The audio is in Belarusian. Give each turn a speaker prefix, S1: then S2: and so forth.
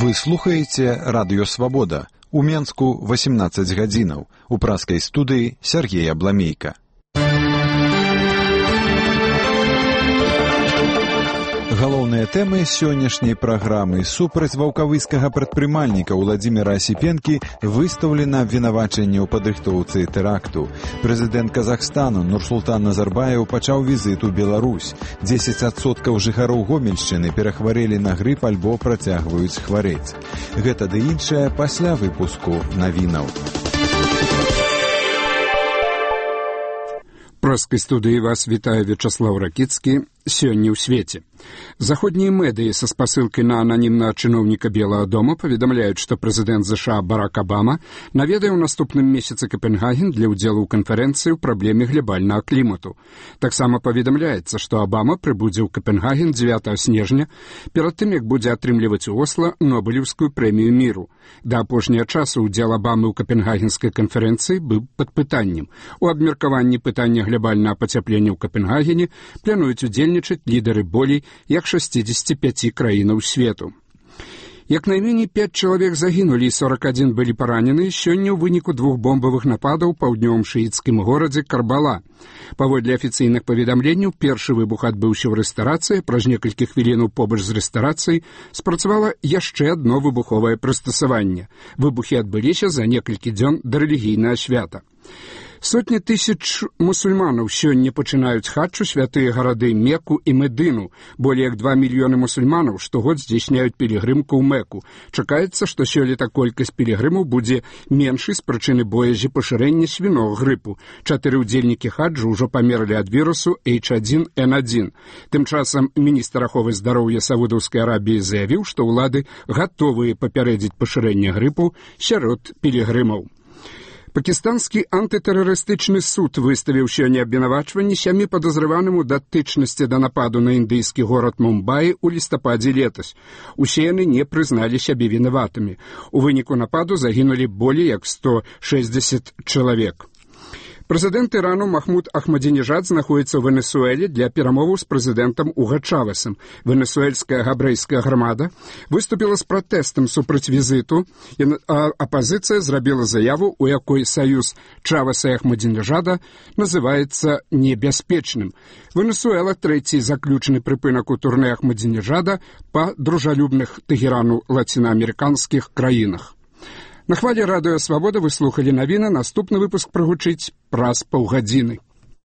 S1: Вы слухаеце радыё «Свабода». У Менску 18 гадзінаў. У праскай студыі Сергей Абламейка. Галоўныя тэмы сённяшняй праграмы. Супраць ваўкавыскага прадпрымальніка Уладзіміра Асіпенкі выстаўлена абвінавачанне ў падрыхтоўцы тэракту. Прэзідэнт Казахстану Нурсултан Назарбаев пачаў візіт у Беларусь. 10% жыхароў Гомельшчыны перахварэлі на грып альбо працягваюць хварэць. Гэта ды іншае пасля выпуску навінаў.
S2: Праскай студыі вас вітае Вячаслаў Ракіцкі. Сёння ў свеце. Заходнія медыі са спасылкай на ананімнага чыноўніка Белага дома паведамляюць, што прэзідэнт ЗША Барак Абама наведае ў наступным месяцы Капенгаген для ўдзелу ў канферэнцыі ў праблеме глабальнага клімату. Таксама паведамляецца, што Абама прыбудзе ў Капенгаген 9 снежня, перад тым, як будзе атрымліваць у Осла Нобелеўскую прэмію міру. Да апошняга часу ўдзел Абамы ў Капенгагенскай канферэнцыі быў пад пытаннем. У абмеркаванні пытання глабальнага пацяплення ў Капенгагене плануюць удзельнічаць лідары болей як 65 краінаў свету. Як найменей 5 чалавек загінулі і 41 былі паранены сёння ў выніку 2 бомбавых нападаў у паўднёвым шыіцкім горадзе Карбала. Паводле афіцыйных паведамленняў, першы выбух адбыўся ў рэстарацыі, праз некалькі хвілінаў побач з рэстарацыяй спрацавала яшчэ адно выбуховае прыстасаванне. Выбухі адбыліся за некалькі дзён да рэлігійнага свята. Сотні тысяч мусульманаў сёння пачынаюць хаджу святыя гарады Мекку і Медыну. Болей як 2 мільёны мусульманаў штогод здзяйсняюць пілігрымку ў Мекку. Чакаецца, што сёлета колькасць пілігрымаў будзе меншай з прычыны боязі пашырэння свінога грыпу. 4 удзельнікі хаджу ўжо памерлі ад вірусу H1N1. Тым часам міністр аховы здароўя Саудаўскай Арабіі заявіў, што ўлады гатовыя папярэдзіць пашырэнне грыпу сярод пілігрымаў. Пакістанскі антытэрарыстычны суд выставіў сёння абвінавачванні 7 падазраваным у датычнасці да нападу на індыйскі горад Мумбаі ў лістападзе летась. Усе яны не прызналі сябе вінаватымі. У выніку нападу загінулі болей як 160 чалавек. Прэзідэнт Ірану Махмуд Ахмадзінежад знаходзіцца ў Венесуэле для перамоваў з прэзідэнтам Уга Чавесам. Венесуэльская габрэйская грамада выступіла з пратэстам супраць візіту, а апазіцыя зрабіла заяву, у якой саюз Чавеса і Ахмадзінежада называецца небяспечным. Венесуэла трэці заключны прыпынак у турне Ахмадзінежада па дружалюбных Тэгерану лацінаамерыканскіх краінах. На хвалі радыё «Свабода» вы слухалі навіны. Наступны выпуск прагучыць праз паўгадзіны.